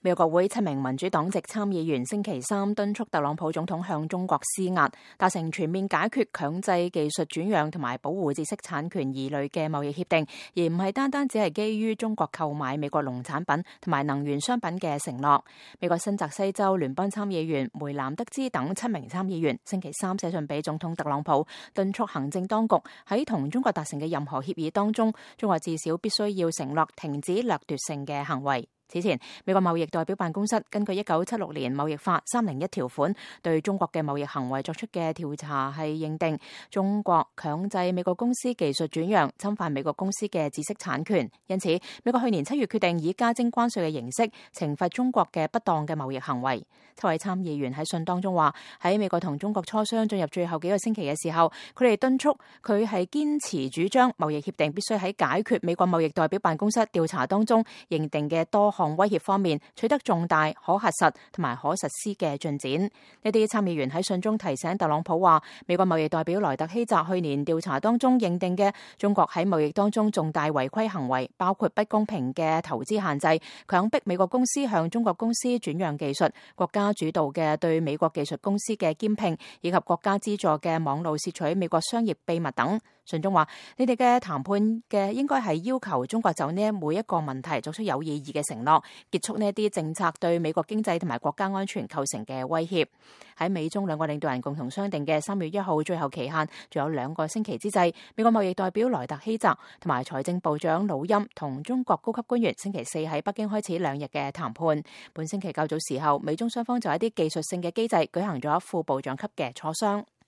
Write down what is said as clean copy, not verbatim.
美國國會7名民主黨籍參議員星期三敦促特朗普總統向中國施壓，達成全面解決強制技術轉讓同埋保護知識產權疑慮嘅貿易協定，而唔係單單只係基於中國購買美國農產品同埋能源商品嘅承諾。美國新澤西州聯邦參議員梅南德茲等7名參議員星期三寫信俾總統特朗普，敦促行政當局喺同中國達成嘅任何協議當中，中國至少必須要承諾停止掠奪性嘅行為。此前，美國貿易代表辦公室根據1976年貿易法301條款對中國嘅貿易行為作出嘅調查，係認定中國強制美國公司技術轉讓，侵犯美國公司嘅知識產權。因此，美國去年7月決定以加徵關稅嘅形式懲罰中國嘅不當嘅貿易行為。7位參議員喺信當中話，喺美國同中國磋商進入最後幾個星期嘅時候，佢哋敦促佢係堅持主張貿易協定必須喺解決美國貿易代表辦公室調查當中認定嘅多項威脅方面取得重大可核實同埋可實施嘅進展。呢啲參議員喺信中提醒特朗普話，美國貿易代表萊特希澤去年調查當中認定嘅中國喺貿易當中重大違規行為，包括不公平嘅投資限制、強迫美國公司向中國公司轉讓技術、國家主導嘅對美國技術公司嘅兼併，以及國家資助嘅網路竊取美國商業秘密等。信中話，你哋嘅談判嘅應該係要求中國就呢每一個問題作出有意義嘅承諾，結束呢啲政策對美國經濟同埋國家安全構成嘅威脅。喺美中兩個領導人共同商定嘅3月1號最後期限仲有2個星期之際，美國貿易代表萊特希澤同埋財政部長魯欽同中國高級官員星期四喺北京開始2日嘅談判。本星期較早時候，美中雙方就一啲技術性嘅機制舉行咗副部長級嘅磋商。